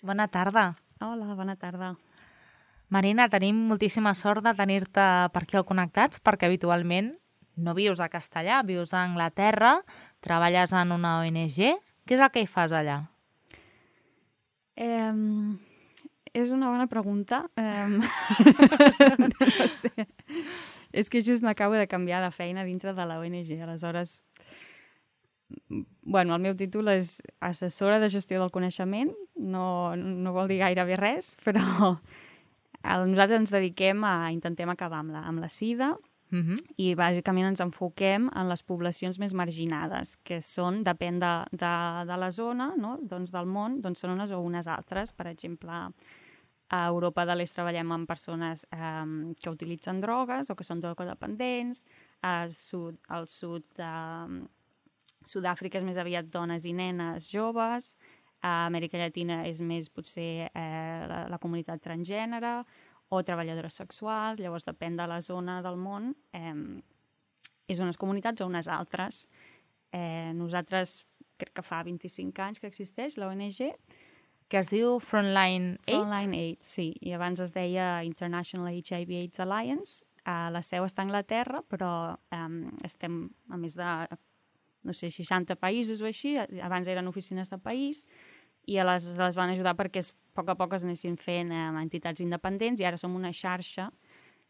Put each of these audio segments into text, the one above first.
Bona tarda. Hola, bona tarda. Marina, tenim moltíssima sort de tenir-te per aquí al Connectats, perquè habitualment no vius a Castellà, vius a Anglaterra, treballes en una ONG. Què és el que hi fas allà? És una bona pregunta. No sé. És que just m'acabo de canviar de feina dintre de la ONG, aleshores... Bueno, el meu títol és assessora de gestió del coneixement, no vol dir gairebé res, però nosaltres ens dediquem intentem acabar amb la sida i bàsicament ens enfoquem en les poblacions més marginades, que són, depèn de la zona, no? Doncs del món, doncs són unes o unes altres. Per exemple, a Europa de l'Est treballem amb persones que utilitzen drogues o que són drogodependents, al sud Sud-àfrica és més aviat dones i nenes joves, a Amèrica Llatina és més potser la comunitat transgènere o treballadores sexuals, llavors depèn de la zona del món, és unes comunitats o unes altres. Nosaltres crec que fa 25 anys que existeix la ONG. Que es diu Frontline Aid? Frontline Aid, sí, i abans es deia International HIV/AIDS Alliance. La seu està a Anglaterra, però estem a més de... no sé, 60 països o així, abans eren oficines de país, i les van ajudar perquè a poc es anessin fent entitats independents, i ara som una xarxa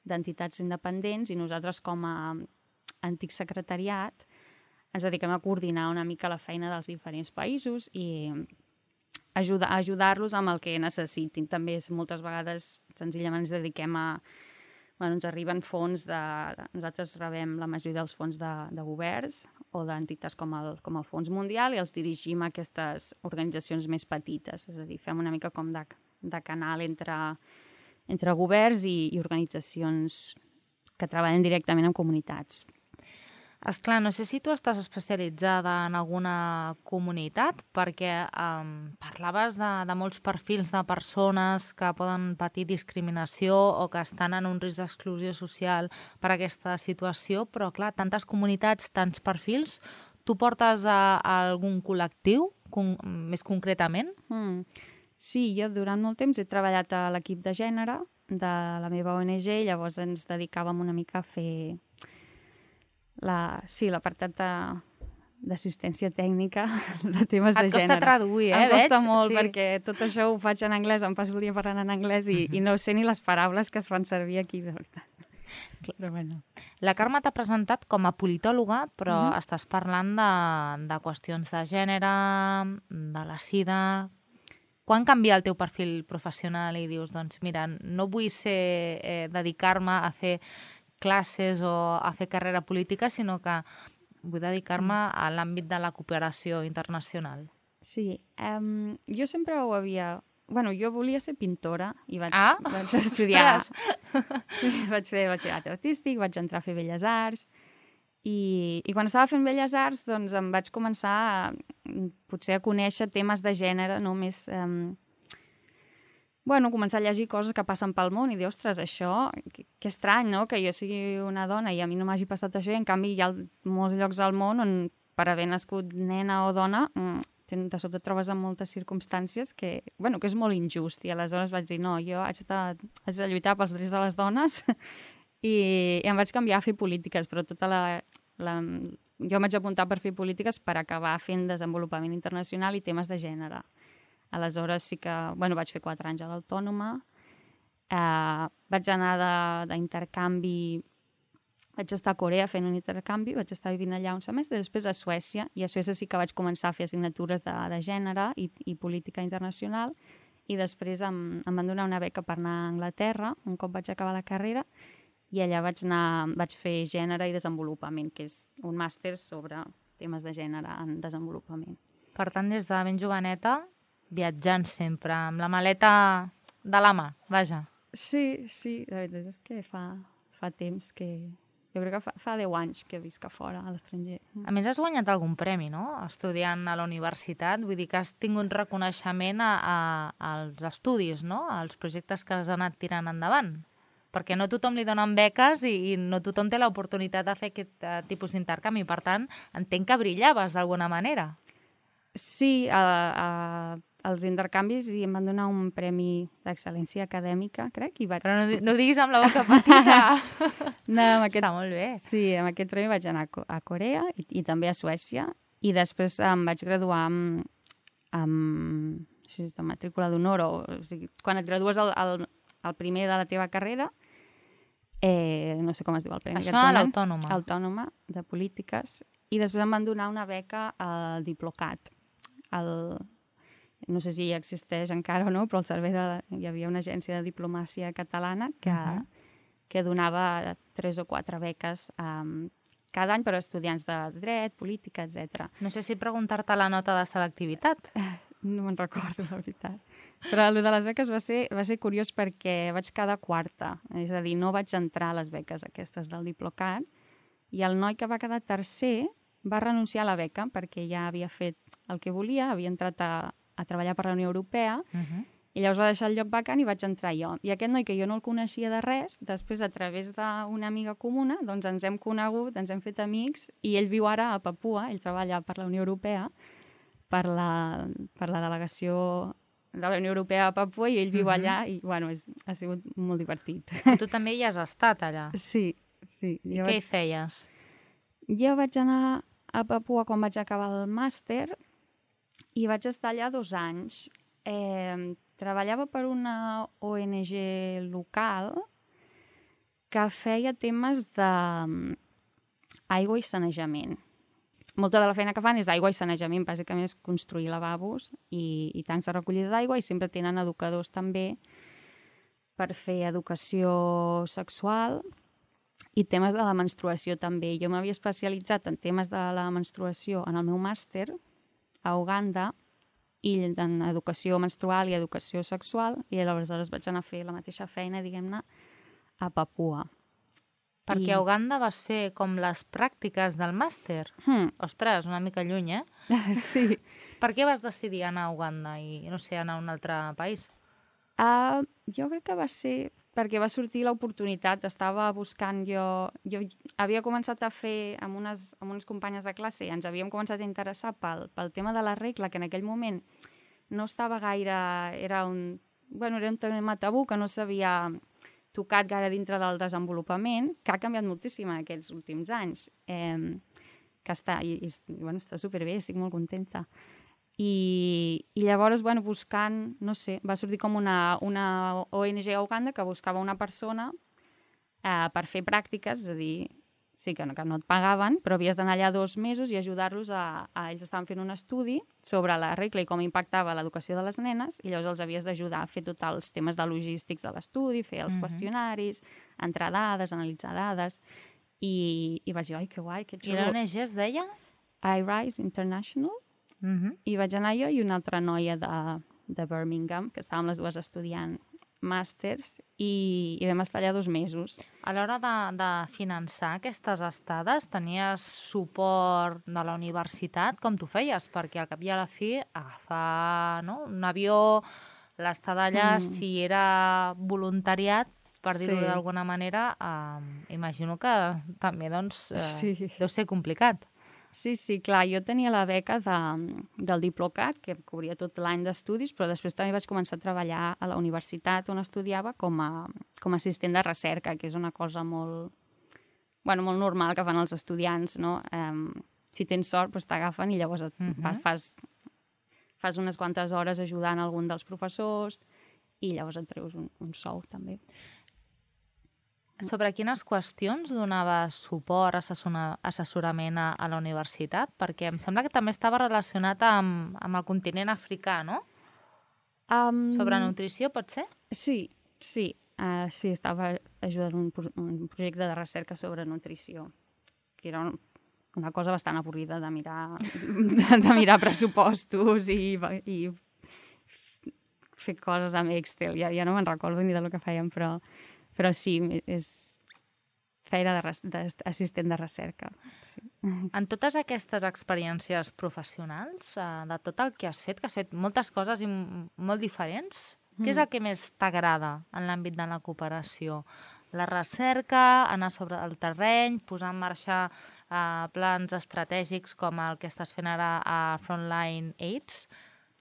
d'entitats independents, i nosaltres com a antic secretariat ens dediquem a coordinar una mica la feina dels diferents països i ajudar-los amb el que necessitin. També moltes vegades senzillament ens dediquem a... Bueno, ens arriben fons nosaltres rebem la majoria dels fons de governs o d'entitats com el Fons Mundial i els dirigim a aquestes organitzacions més petites. És a dir, fem una mica com de canal entre governs i organitzacions que treballen directament amb comunitats. Esclar, no sé si tu estàs especialitzada en alguna comunitat, perquè parlaves de molts perfils de persones que poden patir discriminació o que estan en un risc d'exclusió social per aquesta situació, però clar, tantes comunitats, tants perfils, tu portes a algun col·lectiu, més concretament? Sí, jo durant molt temps he treballat a l'equip de gènere de la meva ONG, llavors ens dedicàvem una mica a fer... l'apartat d'assistència tècnica de temes de gènere. Et costa traduir, Em costa molt, perquè tot això ho faig en anglès, em passo el dia parlant en anglès i no sé ni les paraules que es fan servir aquí, de veritat. Però bueno. La Carme t'ha presentat com a politòloga, però estàs parlant de qüestions de gènere, de la sida... Quan canvia el teu perfil professional i dius, doncs mira, no vull dedicar-me a fer classes o a fer carrera política, sinó que vull dedicar-me a l'àmbit de la cooperació internacional? Sí, jo sempre ho havia... Bueno, jo volia ser pintora i vaig estudiar... Vaig fer batxillerat artístic, vaig entrar a fer Belles Arts i quan estava fent Belles Arts doncs em vaig començar potser a conèixer temes de gènere, no més... començar a llegir coses que passen pel món i dir, ostres, això, que estrany, no?, que jo sigui una dona i a mi no m'hagi passat això, i en canvi hi ha molts llocs al món on per haver nascut nena o dona de sobte et trobes en moltes circumstàncies que és molt injust, i aleshores vaig dir, no, jo haig de lluitar pels drets de les dones i em vaig canviar a fer polítiques, però jo em vaig apuntar per fer polítiques per acabar fent desenvolupament internacional i temes de gènere. Aleshores sí que, vaig fer 4 anys a l'Autònoma, vaig anar d'intercanvi, vaig estar a Corea fent un intercanvi, vaig estar vivint allà un semestre, després a Suècia, i a Suècia sí que vaig començar a fer assignatures de gènere i política internacional, i després em van donar una beca per anar a Anglaterra, un cop vaig acabar la carrera, i allà vaig fer gènere i desenvolupament, que és un màster sobre temes de gènere en desenvolupament. Per tant, des de ben joveneta, viatjant sempre, amb la maleta de la mà, vaja. Sí, la veritat és que fa temps que... Jo crec que fa 10 anys que visc a fora, a l'estranger. A més, has guanyat algun premi, no?, estudiant a la universitat. Vull dir que has tingut reconeixement als estudis, no?, als projectes que has anat tirant endavant. Perquè no tothom li donen beques i no tothom té l'oportunitat de fer aquest tipus d'intercanvi. Per tant, entenc que brillaves d'alguna manera. Sí, els intercanvis i em van donar un premi d'excel·lència acadèmica, crec. Però no ho diguis amb la boca petita. No, Està molt bé. Sí, amb aquest premi vaig anar a Corea i també a Suècia. I després em vaig graduar amb matrícula d'honor. O sigui, quan et gradues el primer de la teva carrera, no sé com es diu el premi. Això a l'Autònoma. Autònoma, de polítiques. I després em van donar una beca al Diplocat. No sé si ja existeix encara o no, però hi havia una agència de diplomàcia catalana que donava 3 o 4 beques cada any per a estudiants de dret, política, etc. No sé si preguntar-te la nota de selectivitat. No me'n recordo, la veritat. Però el de les beques va ser curiós perquè vaig quedar quarta. És a dir, no vaig entrar a les beques aquestes del Diplocat i el noi que va quedar tercer va renunciar a la beca perquè ja havia fet el que volia, havia entrat a treballar per la Unió Europea i llavors va deixar el lloc vacant i vaig entrar jo. I aquest noi, que jo no el coneixia de res, després, a través d'una amiga comuna, doncs ens hem conegut, ens hem fet amics, i ell viu ara a Papua, ell treballa per la Unió Europea, per la delegació de la Unió Europea a Papua, i ell viu allà, i bueno, ha sigut molt divertit. Tu també hi has estat allà? Sí. I què hi feies? Jo vaig anar a Papua quan vaig acabar el màster i vaig estar allà 2 anys. Treballava per una ONG local que feia temes d'aigua i sanejament. Molta de la feina que fan és aigua i sanejament, bàsicament és construir lavabos i tancs de recollida d'aigua, i sempre tenen educadors també per fer educació sexual i temes de la menstruació també. Jo m'havia especialitzat en temes de la menstruació en el meu màster a Uganda i en educació menstrual i educació sexual, i aleshores vaig anar a fer la mateixa feina, diguem-ne, a Papua. Perquè a Uganda vas fer com les pràctiques del màster? Ostres, una mica lluny, Sí. Per què vas decidir anar a Uganda i, no sé, anar a un altre país? Jo crec que va ser perquè va sortir l'oportunitat. Estava buscant jo havia començat a fer amb unes companyes de classe i ens havíem començat a interessar pel tema de la regla, que en aquell moment no estava gaire... Era un tema tabú que no s'havia tocat gaire dintre del desenvolupament, que ha canviat moltíssim en aquests últims anys. Que està superbé, estic molt contenta. I llavors, buscant, no sé, va sortir com una ONG a Uganda que buscava una persona per fer pràctiques, és a dir, sí que no et pagaven, però havies d'anar allà 2 mesos i ajudar-los ells estaven fent un estudi sobre la regla i com impactava l'educació de les nenes, i llavors els havies d'ajudar a fer tots els temes de logístics de l'estudi, fer els qüestionaris, entrar dades, analitzar dades, i vaig dir, ai, que guai, que xulo. I l'ONG es deia? iRise International. I vaig anar jo i una altra noia de Birmingham, que estàvem les dues estudiant màsters, i vam estar allà 2 mesos. A l'hora de finançar aquestes estades, tenies suport de la universitat? Com t'ho feies? Perquè al cap i a la fi agafar un avió, l'estada allà, si era voluntariat, per dir-ho d'alguna manera, imagino que també deu ser complicat. Sí, clar, jo tenia la beca del Diplocat, que cobria tot l'any d'estudis, però després també vaig començar a treballar a la universitat on estudiava com a assistent de recerca, que és una cosa molt normal que fan els estudiants, no? Si tens sort, t'agafen i llavors fas unes quantes hores ajudant algun dels professors i llavors et treus un sou, també. Sobre quines qüestions donava suport, assessorament a la universitat? Perquè em sembla que també estava relacionat amb el continent africà, no? Sobre nutrició, pot ser? Sí, estava ajudant un projecte de recerca sobre nutrició, que era una cosa bastant avorrida de mirar pressupostos i fer coses amb Excel. Ja no me'n recordo ni del que fèiem, però sí, és feina d'assistent de recerca. Sí. En totes aquestes experiències professionals, de tot el que has fet moltes coses i molt diferents, què és el que més t'agrada en l'àmbit de la cooperació? La recerca, anar sobre el terreny, posar en marxa plans estratègics com el que estàs fent ara a Frontline AIDS?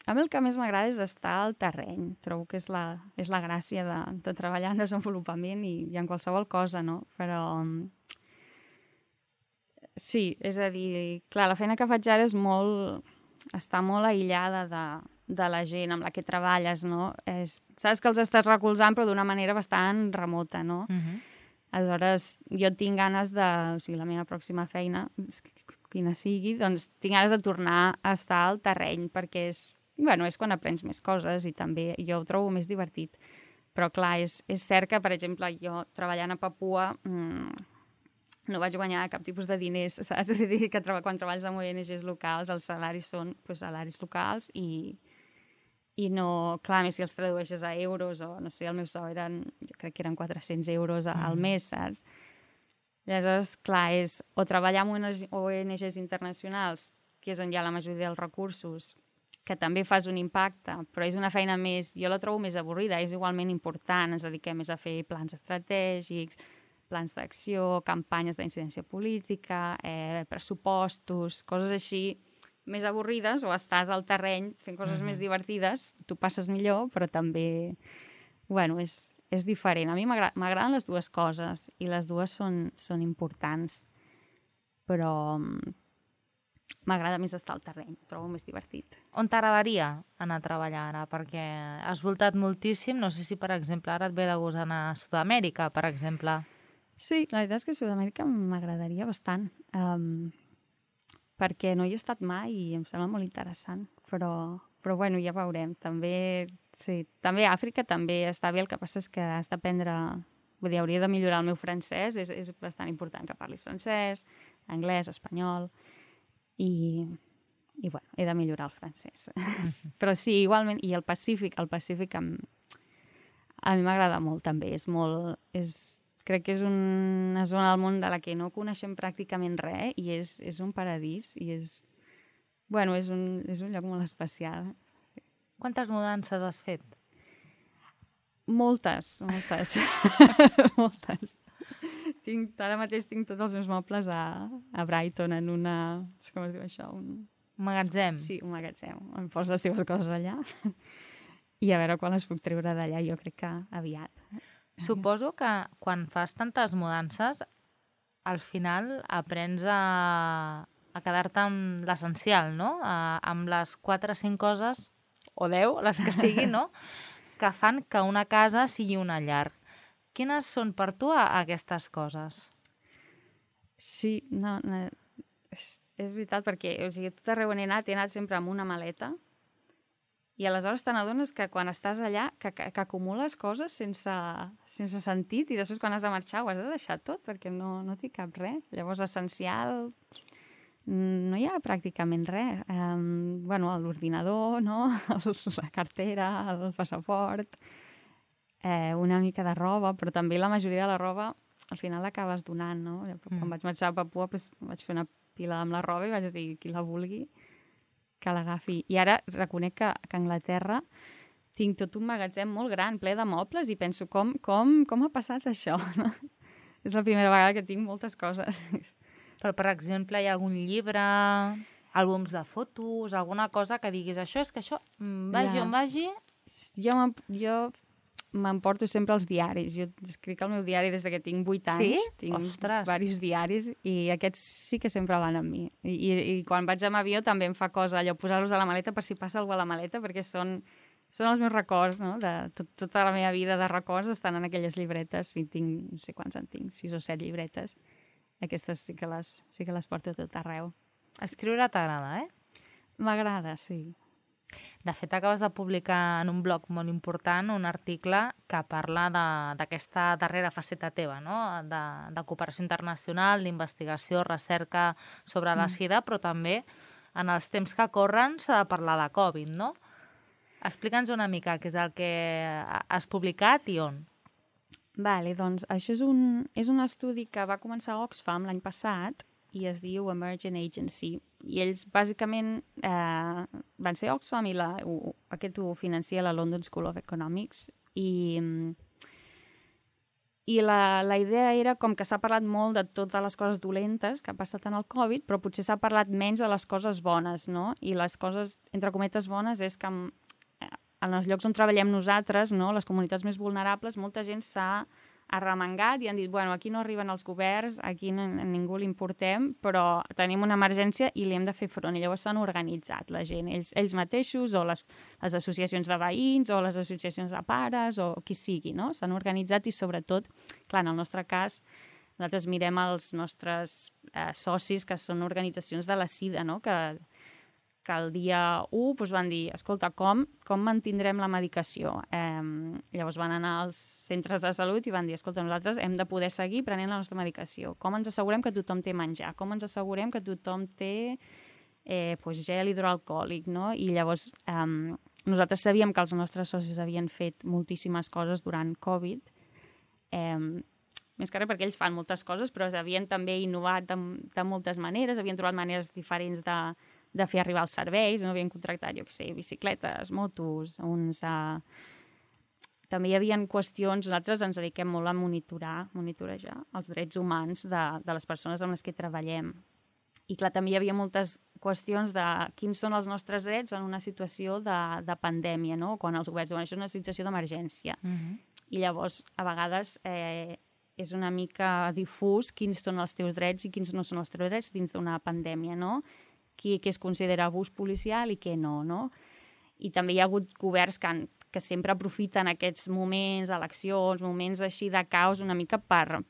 A mi el que més m'agrada és estar al terreny. Trobo que és la gràcia de treballar en desenvolupament i en qualsevol cosa, no? Però sí, és a dir, clar, la feina que faig ara està molt aïllada de la gent amb la que treballes, no? Saps que els estàs recolzant però d'una manera bastant remota, no? Aleshores, jo tinc ganes o sigui, la meva pròxima feina, quina sigui, doncs tinc ganes de tornar a estar al terreny perquè és quan aprens més coses i també jo ho trobo més divertit. Però clar, és cert que, per exemple, jo treballant a Papua no vaig guanyar cap tipus de diners, saps? És a dir, que quan treballes amb ONGs locals els salaris són salaris locals i no... Clar, més si els tradueixes a euros o, no sé, el meu sou jo crec que eren 400 euros al mes, saps? Aleshores, clar, és o treballar amb ONGs internacionals, que és on hi ha la majoria dels recursos, que també fas un impacte, però és una feina més... Jo la trobo més avorrida, és igualment important, ens dediquem més a fer plans estratègics, plans d'acció, campanyes d'incidència política, pressupostos, coses així més avorrides, o estàs al terreny fent coses més divertides, tu passes millor, però també, és diferent. A mi m'agraden les dues coses i les dues són importants, però m'agrada més estar al terreny, ho trobo més divertit. On t'agradaria anar a treballar ara? Perquè has voltat moltíssim, no sé si, per exemple, ara et ve de gust anar a Sud-amèrica, per exemple. Sí, la veritat és que Sud-amèrica m'agradaria bastant, perquè no hi he estat mai i em sembla molt interessant, però ja veurem. També Àfrica també està bé, el que passa és que has d'aprendre... Vull dir, hauria de millorar el meu francès, és bastant important que parlis francès, anglès, espanyol... I he de millorar el francès. Però sí, igualment, i el Pacífic a mi m'agrada molt també, crec que és una zona del món de la que no coneixem pràcticament res i és un paradís i és un lloc molt especial. Quantes mudances has fet? Moltes. Moltes. Ara mateix tinc tots els meus mobles a Brighton, en una... No sé com es diu això? Un magatzem? Sí, un magatzem. Em poso les teves coses allà i a veure quan les puc treure d'allà, jo crec que aviat. Suposo que quan fas tantes mudances, al final aprens a quedar-te amb l'essencial, no? Amb les 4 o 5 coses, o 10, les que siguin, no? Que fan que una casa sigui una llar. Quines són per tu aquestes coses? Sí, és veritat, perquè tot arreu on he anat sempre amb una maleta i aleshores te n'adones que quan estàs allà que acumules coses sense sentit i després quan has de marxar ho has de deixar tot perquè no té cap res. Llavors, essencial, no hi ha pràcticament res. L'ordinador, no? La cartera, el passaport... una mica de roba, però també la majoria de la roba al final l'acabes donant, no? Quan vaig marxar a Papua vaig fer una pila amb la roba i vaig dir, qui la vulgui, que l'agafi. I ara reconec que a Anglaterra tinc tot un magatzem molt gran, ple de mobles, i penso, com ha passat això? No? És la primera vegada que tinc moltes coses. Però, per exemple, hi ha algun llibre, àlbums de fotos, alguna cosa que diguis, això és que això, vagi on vagi... Jo m'emporto sempre els diaris. Jo escric el meu diari des que tinc 8 anys. Sí? Tinc Ostres! diversos diaris i aquests sí que sempre van amb mi. I quan vaig amb avió també em fa cosa allò, posar-los a la maleta per si passa alguna cosa a la maleta, perquè són els meus records, no? Tota la meva vida de records estan en aquelles llibretes. I tinc, no sé quants en tinc, 6 o 7 llibretes. Aquestes sí que les porto a tot arreu. Escriure t'agrada, M'agrada, sí. De fet, acabes de publicar en un blog molt important un article que parla d'aquesta darrera faceta teva, no? De cooperació internacional, d'investigació, recerca sobre la sida, però també en els temps que corren s'ha de parlar de Covid, no? Explica'ns una mica què és el que has publicat i on. Vale, doncs això és un estudi que va començar a Oxfam l'any passat i es diu Emergent Agency. I ells, bàsicament, van ser Oxfam i aquest ho financia la London School of Economics. I I la idea era com que s'ha parlat molt de totes les coses dolentes que ha passat en el Covid, però potser s'ha parlat menys de les coses bones, no? I les coses, entre cometes, bones és que en els llocs on treballem nosaltres, no, les comunitats més vulnerables, molta gent s'ha arremangat i han dit, bueno, aquí no arriben els governs, aquí a ningú li importem, però tenim una emergència i li hem de fer front. I llavors s'han organitzat la gent, ells mateixos, o les associacions de veïns, o les associacions de pares, o qui sigui, no? S'han organitzat i sobretot, clar, en el nostre cas, nosaltres mirem els nostres socis, que són organitzacions de la SIDA, no? Que el dia 1 doncs van dir, escolta, com mantindrem la medicació? Llavors van anar als centres de salut i van dir, escolta, nosaltres hem de poder seguir prenent la nostra medicació. Com ens assegurem que tothom té menjar? Com ens assegurem que tothom té gel hidroalcohòlic? No? I llavors nosaltres sabíem que els nostres socis havien fet moltíssimes coses durant Covid, més que res perquè ells fan moltes coses, però havien també innovat de moltes maneres, havien trobat maneres diferents de fer arribar els serveis, no? Havien contractat, jo què sé, bicicletes, motos, També hi havia qüestions, nosaltres ens dediquem molt a monitorejar els drets humans de les persones amb les que treballem. I clar, també hi havia moltes qüestions de quins són els nostres drets en una situació de pandèmia, no? Quan els governs diuen, això és una situació d'emergència. I llavors, a vegades, és una mica difús quins són els teus drets i quins no són els teus drets dins d'una pandèmia, no? Què es considera abús policial i què no, no? I també hi ha hagut governs que sempre aprofiten aquests moments, eleccions, moments així de caos una mica per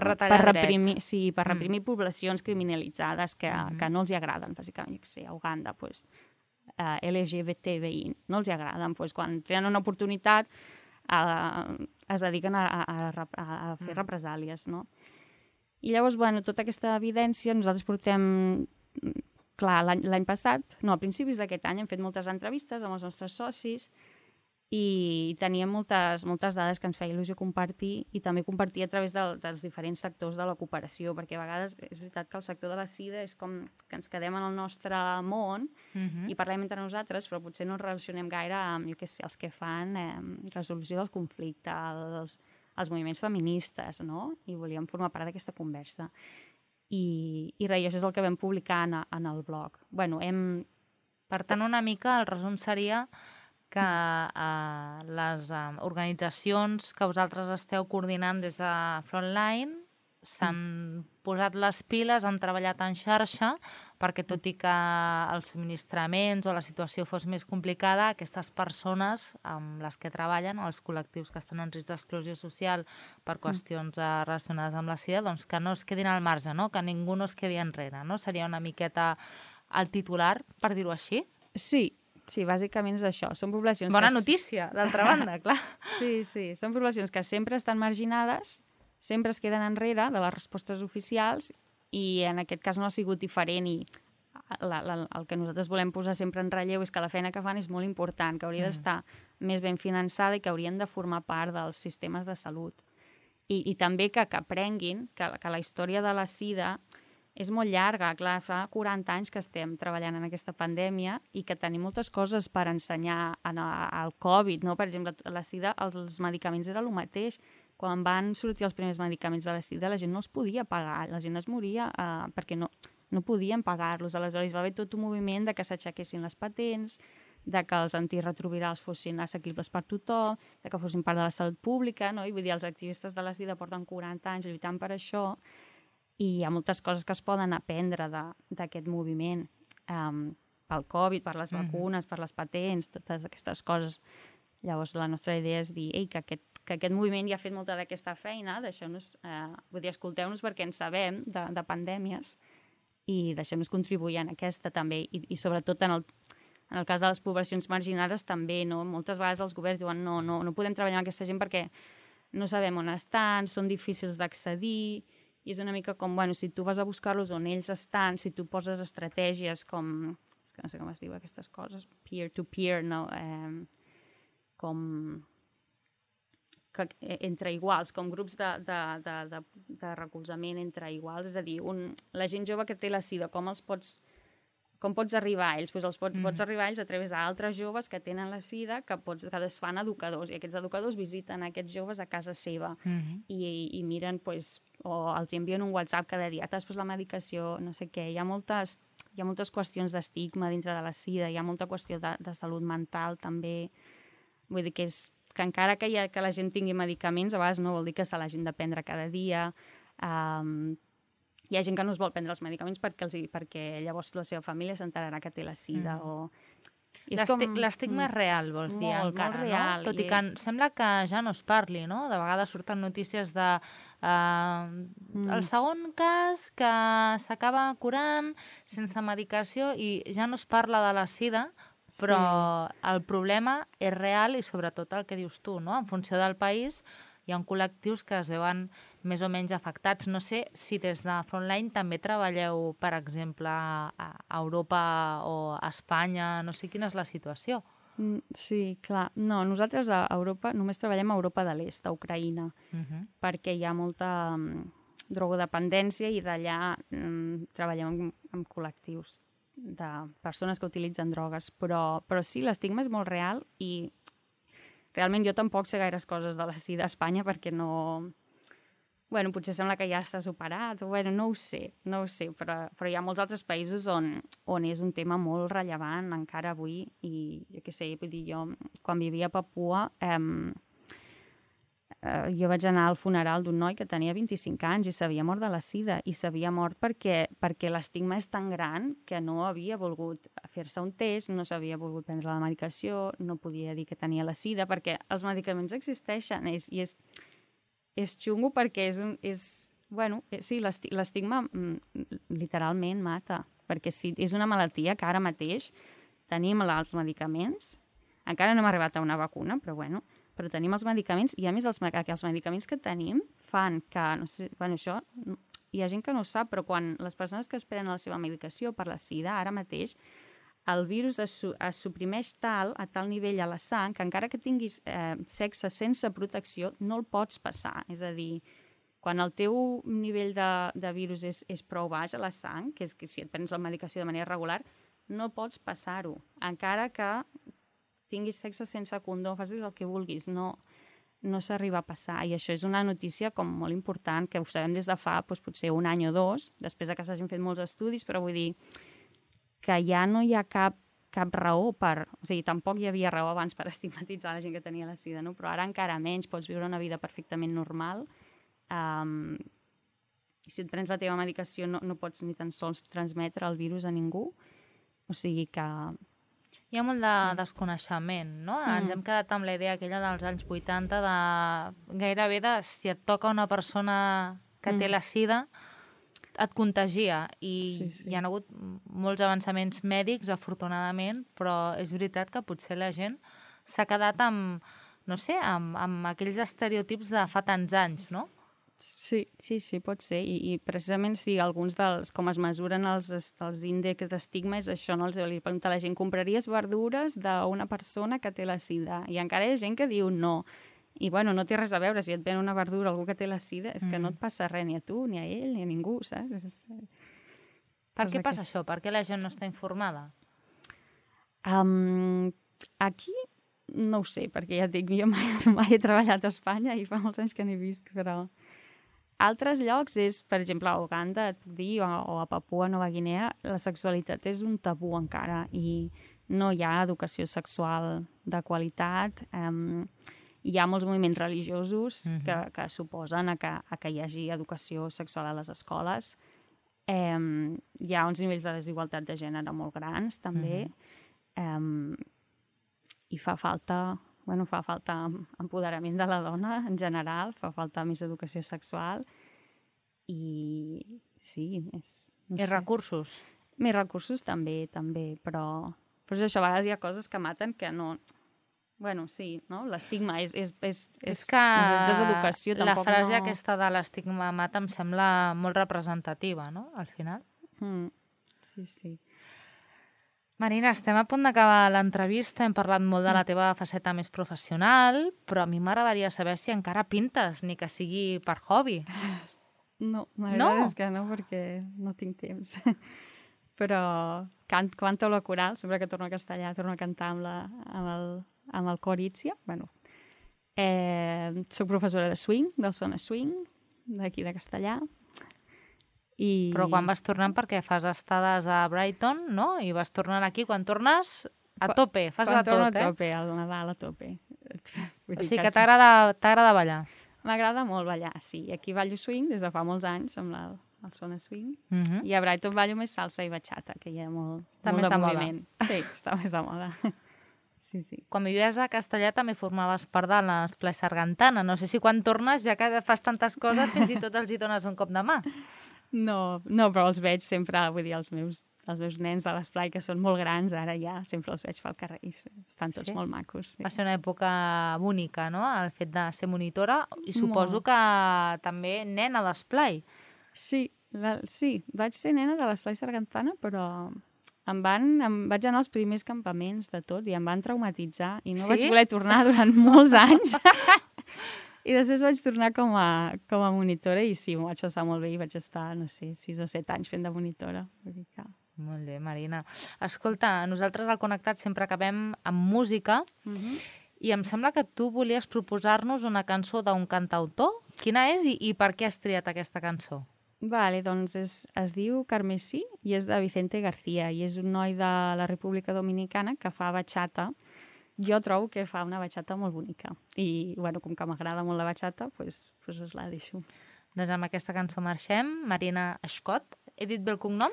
retallar reprimir, drets. sí, per reprimir poblacions criminalitzades que no els hi agraden, bàsicament, jo què sé, a Uganda, LGBTI, no els hi agraden, quan tenen una oportunitat es dediquen a fer represàlies, no? I llavors, bueno, tota aquesta evidència nosaltres portem, clar, l'any passat, no, a principis d'aquest any hem fet moltes entrevistes amb els nostres socis i teníem moltes dades que ens feia il·lusió compartir i també compartir a través dels diferents sectors de la cooperació, perquè a vegades és veritat que el sector de la SIDA és com que ens quedem en el nostre món i parlem entre nosaltres, però potser no ens relacionem gaire amb, jo què sé, els que fan resolució del conflicte, els moviments feministes, no? I volíem formar part d'aquesta conversa. I res, això és el que vam publicar en el blog. Bueno, Per tant, una mica el resum seria que les organitzacions que vosaltres esteu coordinant des de Frontline s'han posat les piles, han treballat en xarxa perquè tot i que els subministraments o la situació fos més complicada, aquestes persones amb les que treballen, els col·lectius que estan en risc d'exclusió social per qüestions relacionades amb la SIDA, doncs que no es quedin al marge, no? Que ningú no es quedi enrere, no? Seria una miqueta el titular, per dir-ho així? Sí, bàsicament és això. Són poblacions Bona notícia, d'altra banda, clar. Sí, són poblacions que sempre estan marginades, sempre es queden enrere de les respostes oficials i en aquest cas no ha sigut diferent i el que nosaltres volem posar sempre en relleu és que la feina que fan és molt important, que hauria d'estar més ben finançada i que haurien de formar part dels sistemes de salut. I també que aprenguin que la història de la SIDA és molt llarga, clar, fa 40 anys que estem treballant en aquesta pandèmia i que tenim moltes coses per ensenyar al Covid, no? Per exemple, la SIDA, els medicaments era el mateix. Quan van sortir els primers medicaments de la SIDA, la gent no els podia pagar, la gent es moria perquè no podien pagar-los. Aleshores va haver tot un moviment de que s'aixequessin les patents, de que els antirretrovirals fossin assequibles per tothom, de que fossin part de la salut pública, no? I vull dir, els activistes de la SIDA porten 40 anys lluitant per això i hi ha moltes coses que es poden aprendre d'aquest moviment pel Covid, per les vacunes, per les patents, totes aquestes coses. Llavors, la nostra idea és dir que aquest moviment ja ha fet molta d'aquesta feina, deixeu-nos, vull dir, escolteu-nos perquè en sabem de pandèmies i deixem-nos contribuir en aquesta també. I sobretot en el cas de les poblacions marginades també, no? Moltes vegades els governs diuen no podem treballar amb aquesta gent perquè no sabem on estan, són difícils d'accedir. I és una mica com, bueno, si tu vas a buscar-los on ells estan, si tu poses estratègies com, és que no sé com es diu aquestes coses, peer-to-peer, no? Com entre iguals, com grups de recolzament entre iguals, és a dir, la gent jove que té la SIDA, com els pots com pots arribar a ells? Doncs pots arribar a ells a través d'altres joves que tenen la sida, que es fan educadors, i aquests educadors visiten aquests joves a casa seva i miren, doncs, o els envien un WhatsApp cada dia, t'has pres la medicació, no sé què. Hi ha moltes qüestions d'estigma dintre de la sida, hi ha molta qüestió de salut mental també. Vull dir que encara que la gent tingui medicaments, a vegades no vol dir que se l'hagin de prendre cada dia. Hi ha gent que no es vol prendre els medicaments perquè llavors la seva família s'enterarà que té la sida. L'estigma és real, vols dir, encara, molt real, no? Tot i que sembla que ja no es parli, no? De vegades surten notícies de el segon cas que s'acaba curant sense medicació i ja no es parla de la sida, però el problema és real i sobretot el que dius tu, no? En funció del país hi ha col·lectius que es veuen més o menys afectats. No sé si des de Frontline també treballeu, per exemple, a Europa o a Espanya, no sé quina és la situació. Sí, clar. No, nosaltres a Europa només treballem a Europa de l'Est, a Ucraïna, perquè hi ha molta drogodependència i d'allà treballem amb col·lectius de persones que utilitzen drogues, però sí, l'estigma és molt real i realment jo tampoc sé gaires coses de la sida a Espanya perquè no... Bueno, potser sembla que ja està superat, bueno, no ho sé, però hi ha molts altres països on és un tema molt rellevant encara avui i jo què sé, vull dir, jo quan vivia a Papua jo vaig anar al funeral d'un noi que tenia 25 anys i s'havia mort de la sida i s'havia mort perquè l'estigma és tan gran que no havia volgut fer-se un test, no s'havia volgut prendre la medicació, no podia dir que tenia la sida perquè els medicaments existeixen i és xungo perquè sí, l'estigma literalment mata, perquè si és una malaltia que ara mateix tenim els medicaments, encara no hem arribat a una vacuna, però tenim els medicaments i a més els medicaments que tenim fan que, no sé, això hi ha gent que no ho sap, però quan les persones que es prenen la seva medicació per la sida, ara mateix, el virus es suprimeix a tal nivell a la sang que encara que tinguis sexe sense protecció no el pots passar. És a dir, quan el teu nivell de virus és prou baix a la sang, que és que si et prens la medicació de manera regular, no pots passar-ho. Encara que tinguis sexe sense condó, facis el que vulguis, no s'arriba a passar. I això és una notícia com molt important, que ho sabem des de fa potser un any o dos, després que s'hagin fet molts estudis, però vull dir que ja no hi ha cap raó o sigui, tampoc hi havia raó abans per estigmatitzar la gent que tenia la sida, no? Però ara encara menys, pots viure una vida perfectament normal. Si et prens la teva medicació no pots ni tan sols transmetre el virus a ningú. O sigui que... Hi ha molt de desconeixement, no? Ens hem quedat amb la idea aquella dels anys 80 de gairebé si et toca una persona que té la sida, et contagia. I hi ha hagut molts avançaments mèdics, afortunadament, però és veritat que potser la gent s'ha quedat amb, no sé, amb aquells estereotips de fa tants anys, no? Sí, pot ser. I precisament alguns com es mesuren els índexs d'estigma és això, no? Li pregunta a la gent, compraries verdures d'una persona que té la sida? I encara hi ha gent que diu no. I no té res a veure, si et ven una verdura algú que té la sida, és que no et passa res ni a tu, ni a ell, ni a ningú, saps? Per què passa això? Per què la gent no està informada? Aquí no ho sé, perquè ja et dic, jo mai he treballat a Espanya i fa molts anys que n'he vist, però... Altres llocs és, per exemple, a Uganda, et puc dir, o a Papua Nova Guinea, la sexualitat és un tabú encara i no hi ha educació sexual de qualitat. Hi ha molts moviments religiosos que suposen que hi hagi educació sexual a les escoles. Hi ha uns nivells de desigualtat de gènere molt grans, també. I fa falta empoderament de la dona en general, fa falta més educació sexual i sí, I recursos? Més recursos també, però és això, a vegades hi ha coses que maten que no... sí, no? L'estigma és que deseducació. La frase aquesta de l'estigma mata em sembla molt representativa, no?, al final. Sí. Marina, estem a punt d'acabar l'entrevista, hem parlat molt de la teva faceta més professional, però a mi m'agradaria saber si encara pintes, ni que sigui per hobby. No, la veritat és que no, perquè no tinc temps. però canto la coral, sempre que torno a castellà, torno a cantar amb el cor Ítzia. Bueno, soc professora de swing, del Sona Swing, d'aquí de castellà. Però quan vas tornant, perquè fas estades a Brighton, no? I vas tornant aquí, quan tornes a tope, fas a tot, Quan torno a tope, al Nadal a tope. O sigui que t'agrada ballar. M'agrada molt ballar, sí. Aquí ballo swing des de fa molts anys, amb el Sona Swing. I a Brighton ballo més salsa i bachata, que hi ha molt Està molt més de moda. moviment. Sí, està més de moda. Sí, sí. Quan vivies a Castellà també formaves part de l'Esplai Sargantana. No sé si quan tornes, ja que fas tantes coses, fins i tot els hi dones un cop de mà. No, però els veig sempre, vull dir, els meus nens de l'esplai, que són molt grans, ara ja sempre els veig pel carrer i estan tots molt macos. Sí. Va ser una època única, no?, el fet de ser monitora, i suposo que també nena d'esplai. Sí, vaig ser nena de l'esplai Sargantana, però vaig anar als primers campaments de tot i em van traumatitzar i no vaig voler tornar durant molts anys. I després vaig tornar com a monitora i sí, m'ho vaig passar molt bé i vaig estar, no sé, 6 o 7 anys fent de monitora. Molt bé, Marina. Escolta, nosaltres al Connectat sempre acabem amb música i em sembla que tu volies proposar-nos una cançó d'un cantautor. Quina és i per què has triat aquesta cançó? Vale, doncs es diu Carmesí i és de Vicente García i és un noi de la República Dominicana que fa bachata. Jo trobo que fa una bachata molt bonica i, bueno, com que m'agrada molt la bachata, doncs us la deixo. Doncs amb aquesta cançó marxem. Marina Scott. He dit bé el cognom?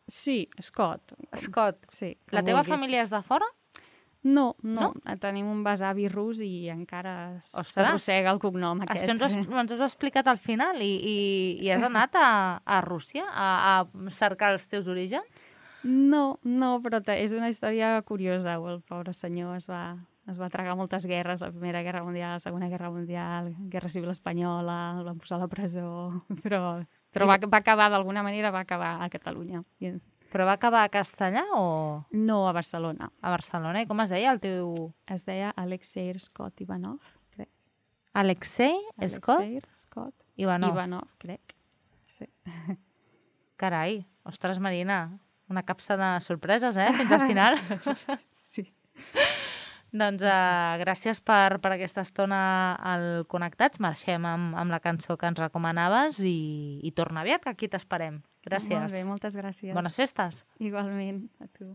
Sí, Scott. Scott. Sí, la teva família és de fora? No. Tenim un besavi rus i encara s'arrossega el cognom aquest. Això ens has explicat al final i has anat a Rússia a cercar els teus orígens? No, però és una història curiosa. El pobre senyor es va tragar moltes guerres, la Primera Guerra Mundial, la Segona Guerra Mundial, Guerra Civil Espanyola, el van posar a la presó, però va acabar, d'alguna manera, va acabar a Catalunya. Però va acabar a Castellà o...? No, a Barcelona. A Barcelona. I com es deia el teu...? Es deia Alexei Scott Ivanov, crec. Alexei Scott Ivanov, crec. Sí. Carai, ostres, Marina, una capsa de sorpreses, fins al final. Sí. Doncs gràcies per aquesta estona al Connectats. Marxem amb la cançó que ens recomanaves i torna aviat, que aquí t'esperem. Gràcies. Molt bé, moltes gràcies. Bones festes. Igualment, a tu.